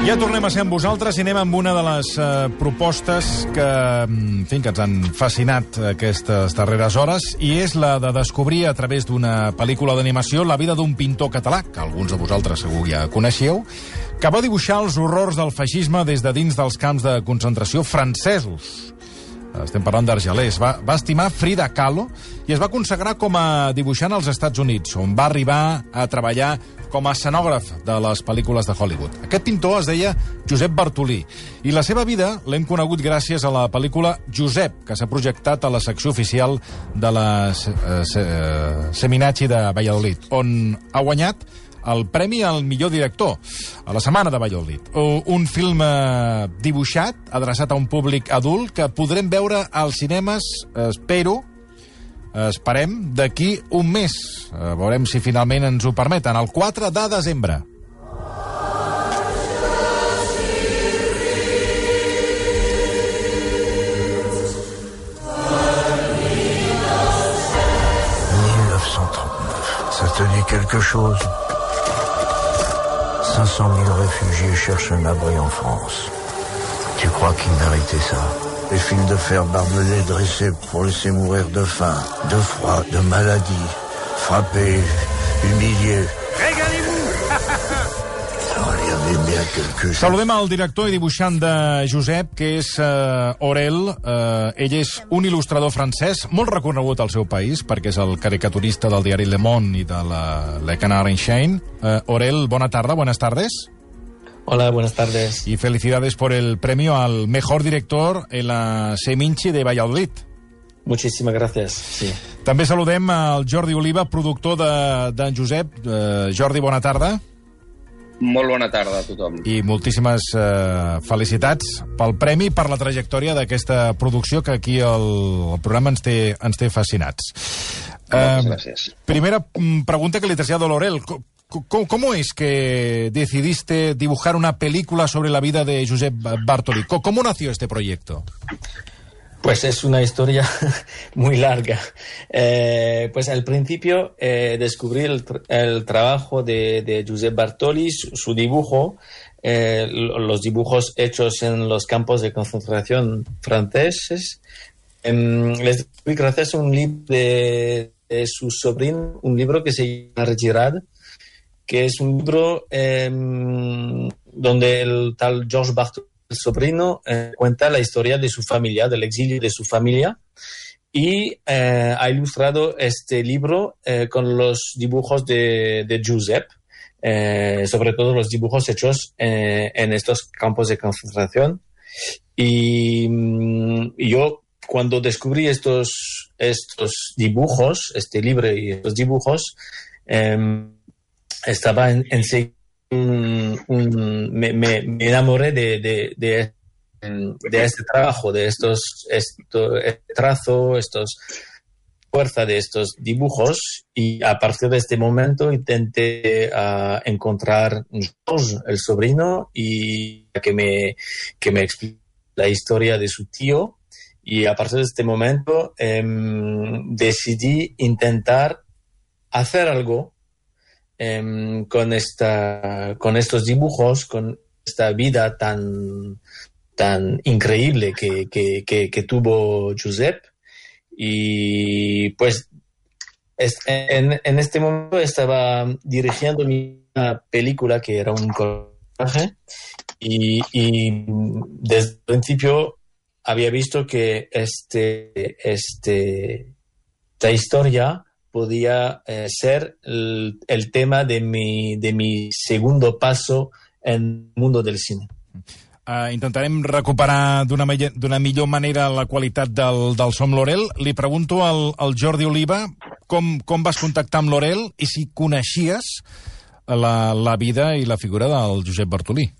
Ja tornem a ser amb vosaltres i anem amb una de les propostes que, que ens han fascinat aquestes darreres hores, i és la de descobrir a través d'una pel·lícula d'animació la vida d'un pintor català, que alguns de vosaltres segur ja coneixeu, que va dibuixar els horrors del feixisme des de dins dels camps de concentració francesos. Estem parlant d'Argelers. Va estimar Frida Kahlo i es va consagrar com a dibuixant als Estats Units, on va arribar a treballar com a escenògraf de les pel·lícules de Hollywood. Aquest pintor es deia Josep Bartolí, i la seva vida l'hem conegut gràcies a la pel·lícula Josep, que s'ha projectat a la secció oficial de la Seminacci de Valladolid, on ha guanyat el premi al millor director a la Setmana de Valladolid. Un film dibuixat, adreçat a un públic adult, que podrem veure als cinemes, esperem, d'aquí un mes. Veurem si finalment ens ho permeten, el 4 de desembre. Ça te dit quelque chose? 500 000 réfugiés cherchent un abri en France. Tu crois qu'ils méritaient ça? Des fils de fer barbelés dressés pour laisser mourir de faim, de froid, de maladie, frappés, humiliés. Régalez-vous! Quelque chose. Saludem al director i dibuixant de Josep, que és Aurel. Ell és un il·lustrador francès, molt reconegut al seu país, perquè és el caricaturista del diari Le Monde i de Le Canard Enchaîné. Aurel, buenas tardes. Hola, buenas tardes. Y felicidades por el premio al mejor director en la Seminci de Valladolid. Muchísimas gracias, sí. També saludem al Jordi Oliva, productor de Josep. Jordi, bona tarda. Molt bona tarda a tothom. I moltíssimes felicitats pel premi, per la trajectòria d'aquesta producció, que aquí el programa ens té fascinats. Moltes gràcies. Primera pregunta que le trasllado a Laurel. ¿Cómo es que decidiste dibujar una película sobre la vida de Josep Bartolí? ¿Cómo nació este proyecto? Pues es una historia muy larga. Pues al principio descubrí el trabajo de Josep Bartolí, su dibujo, los dibujos hechos en los campos de concentración franceses. Les descubrí gracias a un libro de su sobrino, un libro que se llama Girard, que es un libro donde el tal Georges Bartolí, el sobrino, cuenta la historia de su familia, del exilio de su familia, y ha ilustrado este libro con los dibujos de Josep, sobre todo los dibujos hechos en estos campos de concentración. Y yo, cuando descubrí estos dibujos, este libro y estos dibujos, estaba enseguida me enamoré de este trabajo, de este trazo, fuerza de estos dibujos, y a partir de este momento intenté encontrar Georges, el sobrino, y que me explique la historia de su tío, y a partir de este momento decidí intentar hacer algo con estos dibujos, con esta vida tan increíble que tuvo Josep. Y pues en este momento estaba dirigiendo mi película, que era un cortometraje, y desde el principio había visto que esta historia podía ser el tema de mi segundo paso en el mundo del cine. Intentarem recuperar d'una millor manera la qualitat del so amb l'Aurel. Li pregunto al Jordi Oliva com vas contactar amb l'Aurel i si coneixies la vida i la figura del Josep Bartolí.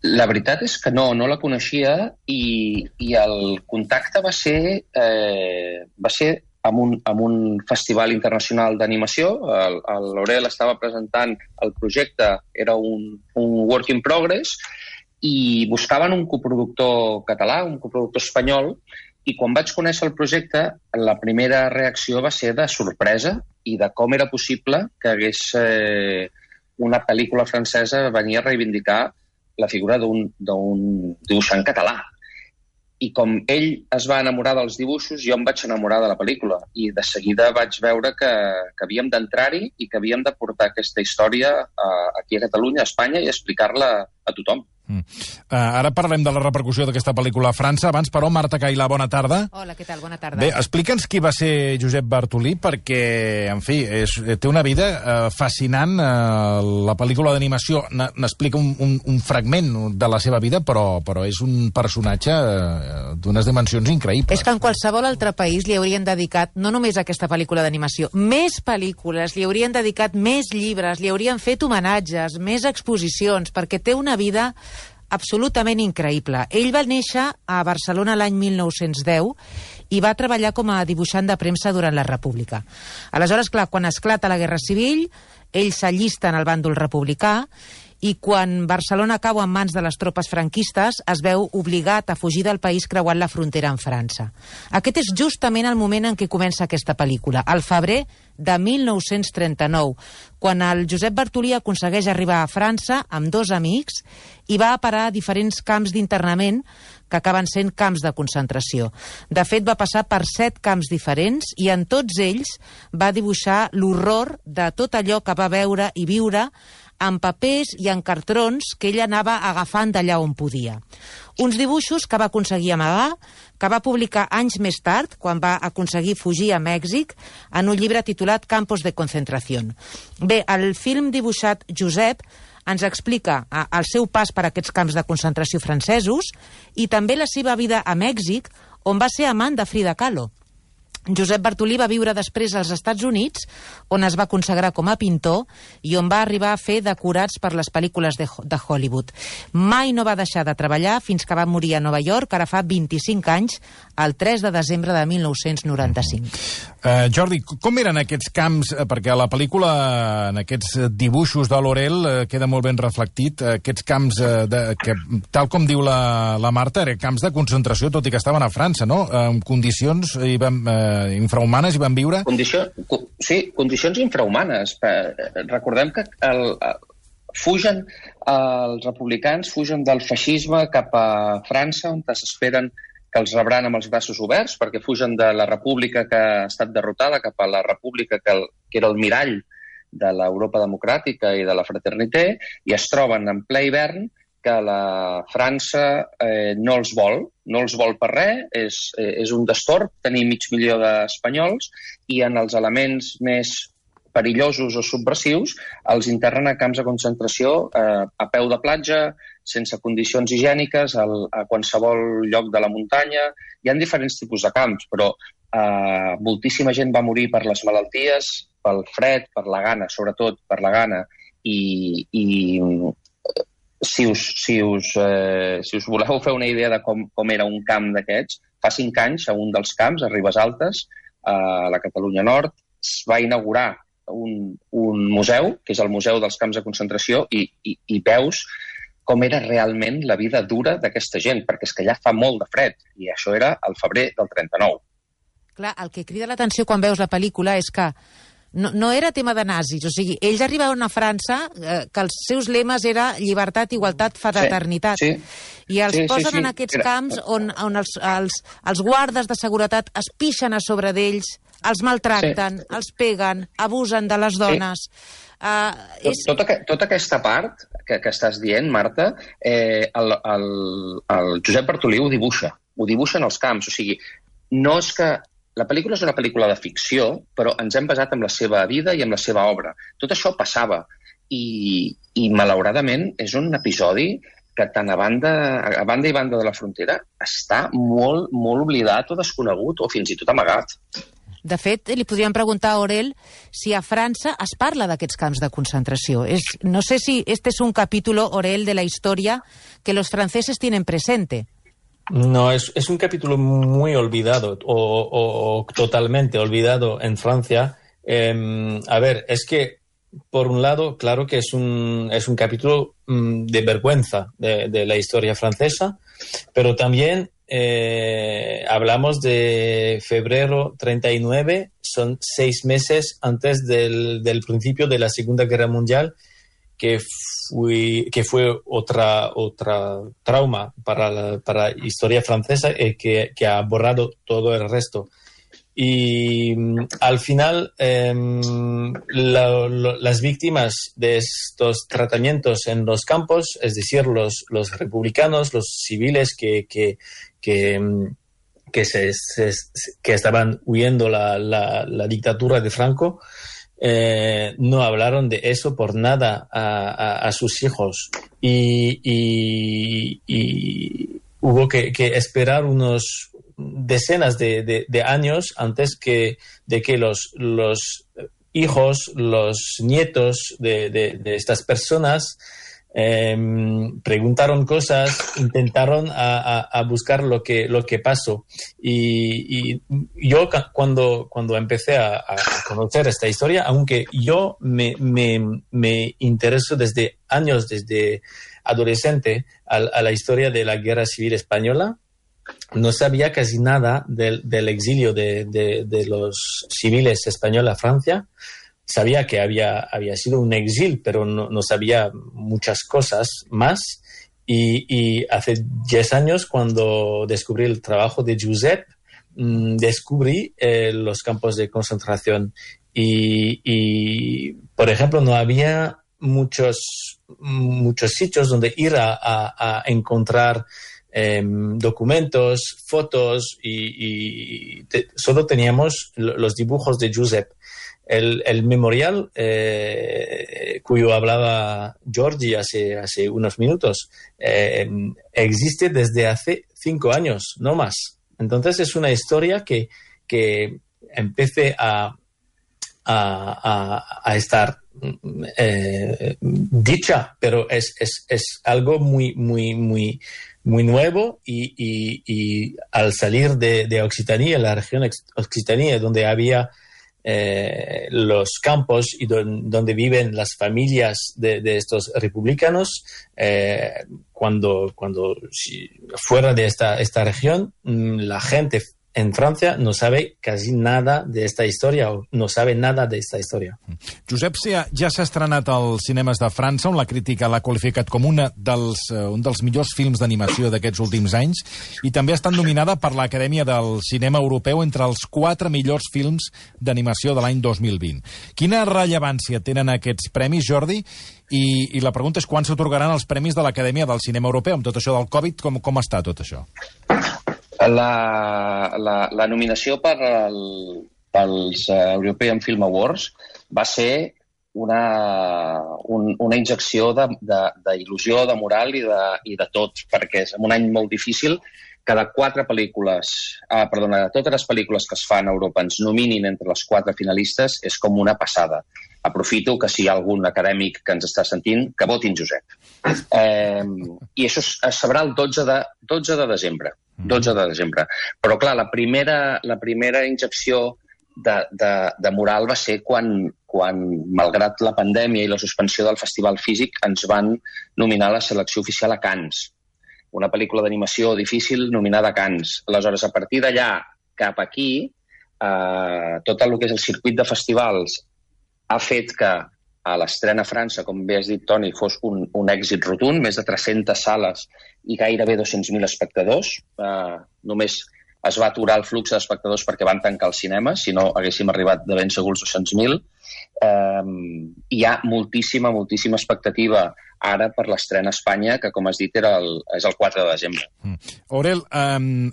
La veritat és que no la coneixia, i el contacte va ser amb un festival internacional d'animació. L'Aurel estava presentant el projecte, era un work in progress, i buscaven un coproductor català, un coproductor espanyol, i quan vaig conèixer el projecte, la primera reacció va ser de sorpresa i de com era possible que hagués una pel·lícula francesa venia a reivindicar la figura d'un dibuixant català. I com ell es va enamorar dels dibuixos, jo em vaig enamorar de la pel·lícula. I de seguida vaig veure que havíem d'entrar-hi i que havíem de portar aquesta història aquí a Catalunya, a Espanya, i explicar-la a tothom. Ara parlem de la repercussió d'aquesta pel·lícula a França. Abans, però, Marta Cailà, bona tarda. Hola, què tal? Bona tarda. Bé, explica'ns qui va ser Josep Bartolí, perquè, en fi, té una vida fascinant. La pel·lícula d'animació n'explica un fragment de la seva vida, però és un personatge d'unes dimensions increïbles. És que en qualsevol altre país li haurien dedicat, no només a aquesta pel·lícula d'animació, més pel·lícules, li haurien dedicat més llibres, li haurien fet homenatges, més exposicions, perquè té una vida absolutament increïble. Ell va néixer a Barcelona l'any 1910 i va treballar com a dibuixant de premsa durant la República. Aleshores, clar, quan esclata la Guerra Civil, ell s'allista en el bàndol republicà i quan Barcelona cau en mans de les tropes franquistes es veu obligat a fugir del país creuant la frontera amb França. Aquest és justament el moment en què comença aquesta pel·lícula, al febrer de 1939, quan el Josep Bartolí aconsegueix arribar a França amb dos amics i va a parar a diferents camps d'internament que acaben sent camps de concentració. De fet, va passar per 7 camps diferents i en tots ells va dibuixar l'horror de tot allò que va veure i viure en papers i en cartrons que ell anava agafant d'allà on podia. Uns dibuixos que va aconseguir amagar, que va publicar anys més tard, quan va aconseguir fugir a Mèxic, en un llibre titulat Campos de Concentración. Bé, el film dibuixat Josep ens explica el seu pas per aquests camps de concentració francesos i també la seva vida a Mèxic, on va ser amant de Frida Kahlo. Josep Bartolí va viure després als Estats Units, on es va consagrar com a pintor i on va arribar a fer decorats per les pel·lícules de Hollywood. Mai no va deixar de treballar fins que va morir a Nova York, ara fa 25 anys, el 3 de desembre de 1995. Jordi, com eren aquests camps? Perquè a la pel·lícula, en aquests dibuixos de Laurel, queda molt ben reflectit, aquests camps, que, tal com diu la Marta, eren camps de concentració, tot i que estaven a França, no? En condicions infrahumanes i van viure... Condicions infrahumanes. Recordem que fugen els republicans, fugen del feixisme cap a França, on s'esperen que els rebran amb els braços oberts, perquè fugen de la república que ha estat derrotada cap a la república que era el mirall de l'Europa democràtica i de la fraternitat, i es troben en ple hivern que la França no els vol per res, és un destorb tenir 500.000 d'espanyols, i en els elements més perillosos o subversius els internen a camps de concentració a peu de platja, sense condicions higièniques, a qualsevol lloc de la muntanya. Hi ha diferents tipus de camps, però moltíssima gent va morir per les malalties, pel fred, per la gana, sobretot per la gana, i si us voleu fer una idea de com era un camp d'aquests, fa 5 anys a un dels camps, a Ribesaltes, a la Catalunya Nord, es va inaugurar un museu, que és el Museu dels Camps de Concentració, i veus com era realment la vida dura d'aquesta gent, perquè és que allà fa molt de fred, i això era al febrer del 39. Clar, el que crida l'atenció quan veus la pel·lícula és que no era tema de nazis, o sigui, ells arribaven a França que els seus lemes era llibertat, igualtat, fraternitat. I els posen en aquests camps on els guardes de seguretat es pixen a sobre d'ells, els maltracten, els peguen, abusen de les dones. Tota aquesta part que estàs dient, Marta, el Josep Bartolí ho dibuixa en els camps. O sigui, no és que... La pel·lícula és una pel·lícula de ficció, però ens hem basat en la seva vida i en la seva obra. Tot això passava i malauradament, és un episodi que tant a banda i banda de la frontera està molt, molt oblidat o desconegut o fins i tot amagat. De fet, li podríem preguntar a Aurel si a França es parla d'aquests camps de concentració. No sé si este es un capítulo, Aurel, de la historia que los franceses tienen presente. No, es un capítulo muy olvidado o totalmente olvidado en Francia. A ver, es que por un lado, claro que es un capítulo de vergüenza de la historia francesa, pero también hablamos de febrero 39, son 6 meses antes del principio de la Segunda Guerra Mundial, que fue otra trauma para la historia francesa y que ha borrado todo el resto. Y al final las víctimas de estos tratamientos en los campos, es decir, los republicanos, los civiles que estaban huyendo la dictadura de Franco, no hablaron de eso por nada a sus hijos. Y hubo que esperar unos decenas de años antes de que los hijos, los nietos de estas personas preguntaron cosas, intentaron a buscar lo que pasó. Y yo cuando empecé a conocer esta historia, aunque yo me intereso desde años, desde adolescente, a la historia de la Guerra Civil Española, no sabía casi nada del exilio de los civiles españoles a Francia. Sabía que había sido un exilio, pero no sabía muchas cosas más. Y hace 10 años, cuando descubrí el trabajo de Josep, descubrí los campos de concentración. Y por ejemplo, no había muchos sitios donde ir a encontrar documentos, fotos, y solo teníamos los dibujos de Josep. El memorial cuyo hablaba Jordi hace unos minutos existe desde hace 5 años, no más. Entonces es una historia que empecé a estar dicha, pero es algo muy nuevo, y al salir de Occitania, la región Occitania, donde había los campos y donde viven las familias de estos republicanos, cuando fuera de esta región, la gente en França no sabe quasi nada de esta història, o no sabe nada de esta història. Josep Sia ja s'ha estrenat als cinemes de França, on la crítica l'ha qualificat com un dels millors films d'animació d'aquests últims anys, i també ha estat nominada per l'Acadèmia del Cinema Europeu entre els 4 millors films d'animació de l'any 2020. Quina rellevància tenen aquests premis, Jordi? I la pregunta és quan s'atorgaran els premis de l'Acadèmia del Cinema Europeu? Amb tot això del Covid, com està tot això? La nominació pels European Film Awards va ser una injecció d'il·lusió, de moral i de tot, perquè és en un any molt difícil que de totes les pel·lícules que es fan a Europa ens nominin entre les 4 finalistes és com una passada. Aprofito que si hi ha algun acadèmic que ens està sentint, que votin Josep. I això es sabrà el 12 de desembre. 12 de desembre. Però, clar, la primera injecció de moral va ser quan, malgrat la pandèmia i la suspensió del festival físic, ens van nominar a la selecció oficial a Cannes. Una pel·lícula d'animació difícil nominada a Cannes. Aleshores, a partir d'allà cap aquí, tot el que és el circuit de festivals ha fet que a l'estrena a França, com bé has dit, Toni, fos un èxit rotund, més de 300 sales i gairebé 200.000 espectadors. Només es va aturar el flux d'espectadors perquè van tancar el cinema, si no haguéssim arribat de ben segur als 200.000. Hi ha moltíssima expectativa ara per l'estrena a Espanya, que, com has dit, és el 4 de desembre. Aurel,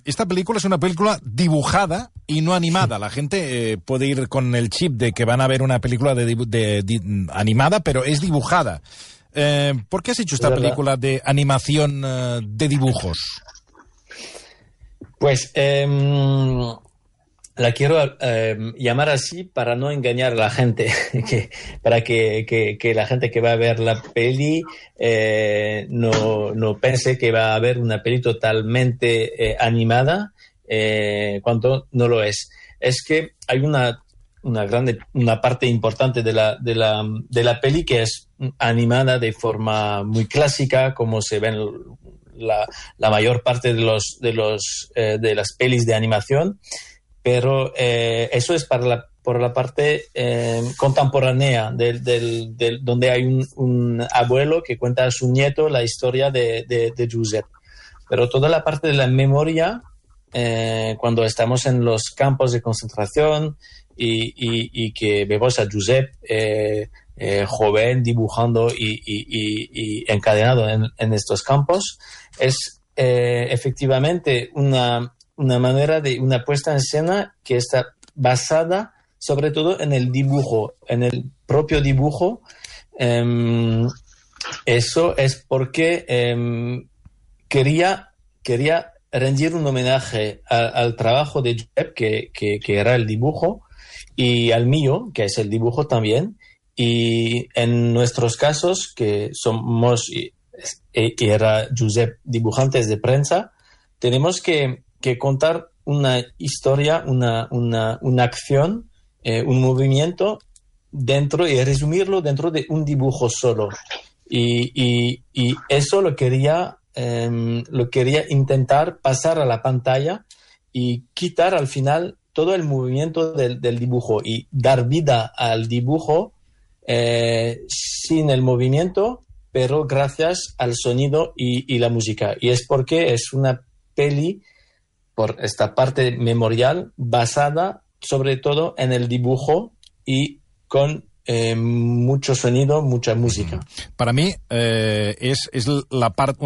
esta película es una película dibujada y no animada. La gente puede ir con el chip de que van a ver una película animada, pero es dibujada. ¿Por qué has hecho esta película de animación de dibujos? Pues la quiero llamar así para no engañar a la gente, para que la gente que va a ver la peli no piense que va a haber una peli totalmente animada, cuando no lo es. Es que hay una parte importante de la peli que es animada de forma muy clásica, como se ven la mayor parte de las pelis de animación, pero eso es para por la parte contemporánea, donde hay un abuelo que cuenta a su nieto la historia de Giuseppe. Pero toda la parte de la memoria, cuando estamos en los campos de concentración y que vemos a Giuseppe joven dibujando y encadenado en estos campos, es efectivamente una manera de una puesta en escena que está basada sobre todo en el dibujo, en el propio dibujo. Eso es porque quería rendir un homenaje al trabajo de Giuseppe, que era el dibujo, y al mío, que es el dibujo también. Y en nuestros casos, que somos, y era Giuseppe, dibujantes de prensa, tenemos que contar una historia, una acción, un movimiento dentro y resumirlo dentro de un dibujo solo. Y eso lo quería intentar pasar a la pantalla y quitar al final todo el movimiento del dibujo y dar vida al dibujo sin el movimiento, pero gracias al sonido y la música. Y es porque es una peli, por esta parte memorial, basada sobre todo en el dibujo y con mucho sonido, mucha música. Para mí es la parte...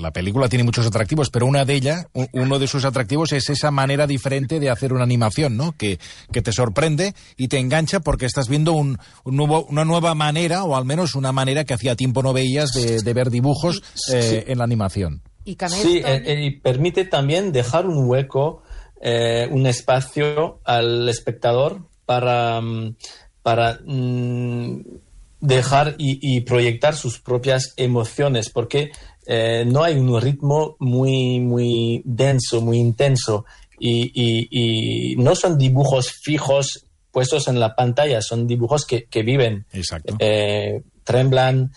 la película tiene muchos atractivos, pero uno de sus atractivos es esa manera diferente de hacer una animación, ¿no? Que te sorprende y te engancha porque estás viendo una nueva manera, o al menos una manera que hacía tiempo no veías de ver dibujos en la animación. Y y permite también dejar un hueco, un espacio al espectador para dejar y proyectar sus propias emociones, porque no hay un ritmo muy denso, muy intenso, y no son dibujos fijos puestos en la pantalla, son dibujos que viven. Exacto. Tremblan,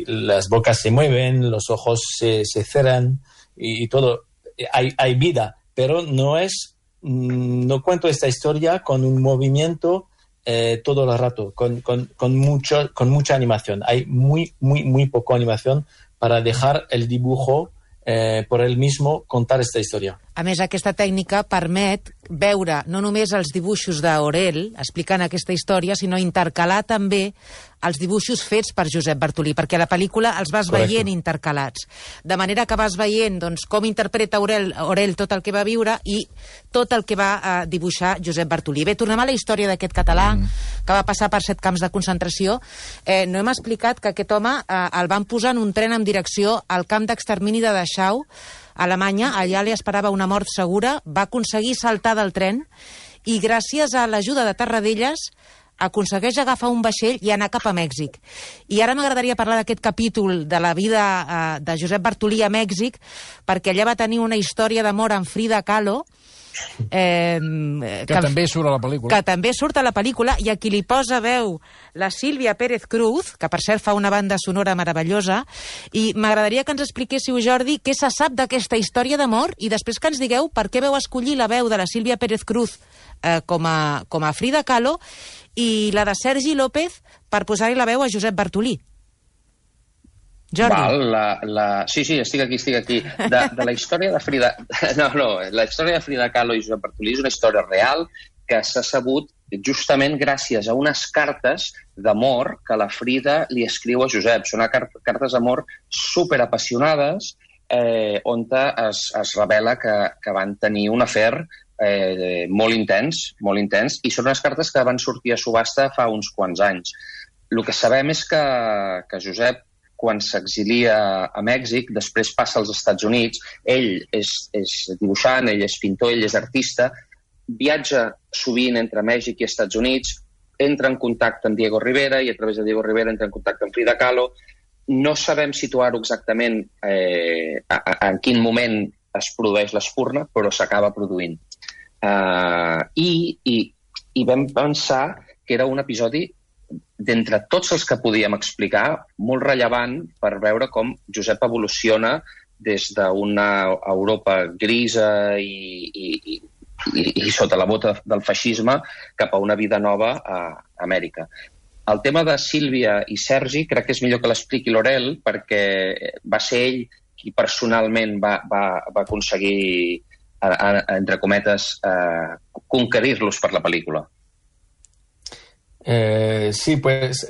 las bocas se mueven, los ojos se cerran y todo. Hay vida, pero no cuento esta historia con un movimiento todo el rato, con mucha animación. Hay muy poca animación para dejar el dibujo por él mismo contar esta historia. A més, aquesta tècnica permet veure no només els dibuixos d'Aurel explicant aquesta història, sinó intercalar també els dibuixos fets per Josep Bartolí, perquè a la pel·lícula els vas veient intercalats. De manera que vas veient com interpreta Aurel tot el que va viure i tot el que va dibuixar Josep Bartolí. Bé, tornem a la història d'aquest català que va passar per 7 camps de concentració. No hem explicat que aquest home el van posar en un tren amb direcció al camp d'extermini de Dachau, a Alemanya. Allà li esperava una mort segura, va aconseguir saltar del tren i gràcies a l'ajuda de Tarradellas aconsegueix agafar un vaixell i anar cap a Mèxic. I ara m'agradaria parlar d'aquest capítol de la vida de Josep Bartolí a Mèxic, perquè allà va tenir una història d'amor amb Frida Kahlo, que també surt a la pel·lícula. Que també surt a la pel·lícula, i a qui li posa veu la Sílvia Pérez Cruz, que per cert fa una banda sonora meravellosa, i m'agradaria que ens expliquéssiu, Jordi, què se sap d'aquesta història d'amor, i després que ens digueu per què veu escollir la veu de la Sílvia Pérez Cruz com a Frida Kahlo i la de Sergi López per posar-hi la veu a Josep Bartolí. Jordi. Sí, estic aquí. De la història de Frida... No, la història de Frida Kahlo i Josep Bartolí és una història real que s'ha sabut justament gràcies a unes cartes d'amor que la Frida li escriu a Josep. Són cartes d'amor superapassionades on es revela que van tenir un afer molt intens, i són unes cartes que van sortir a subhasta fa uns quants anys. El que sabem és que Josep, quan s'exilia a Mèxic, després passa als Estats Units. Ell és dibuixant, ell és pintor, ell és artista, viatja sovint entre Mèxic i Estats Units, entra en contacte amb Diego Rivera i a través de Diego Rivera entra en contacte amb Frida Kahlo. No sabem situar-ho exactament en quin moment es produeix l'espurna, però s'acaba produint. I vam pensar que era un episodi d'entre tots els que podíem explicar, molt rellevant per veure com Josep evoluciona des d'una Europa grisa i i sota la bota del feixisme cap a una vida nova a Amèrica. El tema de Sílvia i Sergi crec que és millor que l'expliqui l'Orel, perquè va ser ell qui personalment va aconseguir, entre cometes, conquerir-los per la pel·lícula. Sí, pues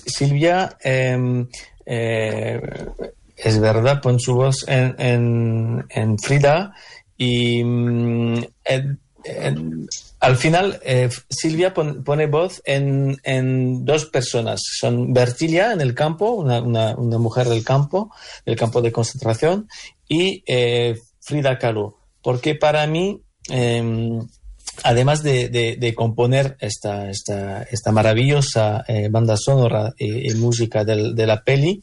Silvia es verdad, pon su voz en Frida y al final Silvia pone voz en dos personas. Son Bertilia en el campo, una mujer del campo de concentración, y Frida Kahlo. Porque para mí, además de componer esta maravillosa banda sonora y música de la peli,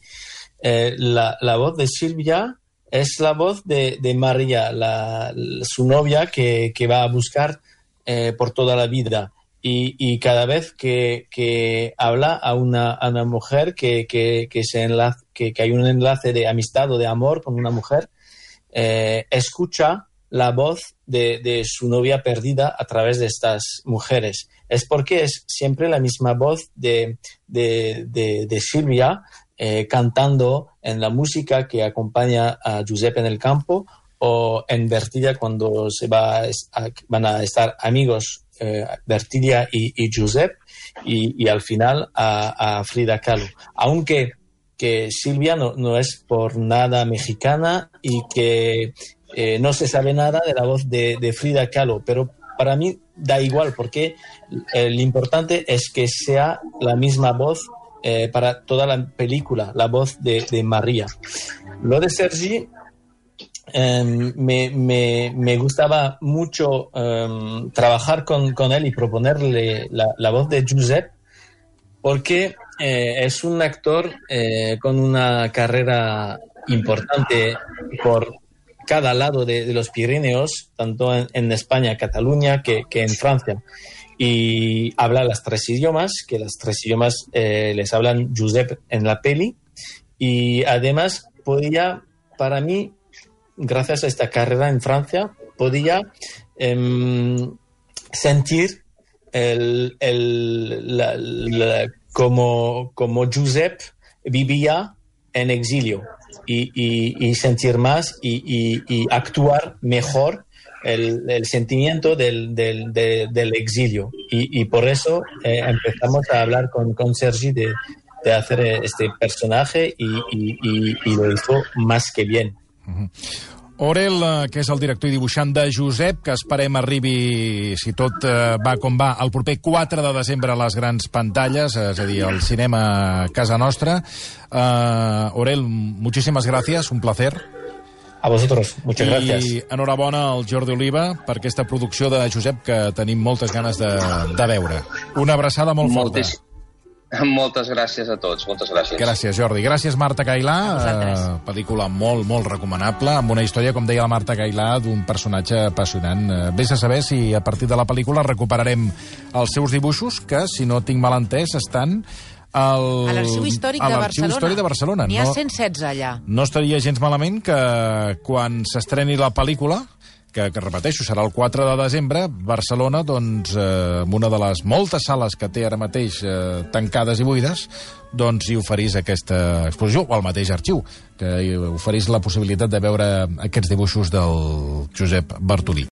la voz de Silvia es la voz de María, su novia que va a buscar por toda la vida. Y cada vez que habla a una mujer que hay un enlace de amistad o de amor con una mujer, escucha la voz de su novia perdida a través de estas mujeres. Es porque es siempre la misma voz de Silvia cantando en la música que acompaña a Giuseppe en el campo, o en Bertilia cuando van a estar amigos Bertilia y Giuseppe, y al final a Frida Kahlo. Aunque que Silvia no es por nada mexicana y que no se sabe nada de la voz de Frida Kahlo, pero para mí da igual, porque lo importante es que sea la misma voz para toda la película, la voz de María. Lo de Sergi, me gustaba mucho trabajar con él y proponerle la voz de Giuseppe, porque es un actor con una carrera importante por cada lado de los Pirineos, tanto en España, Cataluña, que en Francia. Y habla los tres idiomas, que los tres idiomas les hablan Giuseppe en la peli. Y además podía, para mí, gracias a esta carrera en Francia, podía sentir como Giuseppe vivía en exilio, y sentir más y actuar mejor el sentimiento del exilio. Y por eso empezamos a hablar con Sergi de hacer este personaje, y lo hizo más que bien. Orel, que és el director i dibuixant de Josep, que esperem arribi, si tot va com va, el proper 4 de desembre a les grans pantalles, és a dir, al cinema a casa nostra. Orel, muchísimas gracias, un placer. A vosotros, muchas gracias. I enhorabona al Jordi Oliva per aquesta producció de Josep que tenim moltes ganes de veure. Una abraçada molt forta. Moltes gràcies a tots, moltes gràcies. Gràcies, Jordi. Gràcies, Marta Cailà. Pel·lícula molt, molt recomanable, amb una història, com deia la Marta Cailà, d'un personatge apassionant. Vés a saber si a partir de la pel·lícula recuperarem els seus dibuixos, que, si no tinc mal entès, estan a l'Arxiu Històric de Barcelona. N'hi ha 116 allà. No estaria gens malament que quan s'estreni la pel·lícula, que repeteixo, serà el 4 de desembre, Barcelona, doncs, amb una de les moltes sales que té ara mateix tancades i buides, doncs hi oferís aquesta exposició, o al mateix arxiu, que hi oferís la possibilitat de veure aquests dibuixos del Josep Bartolí.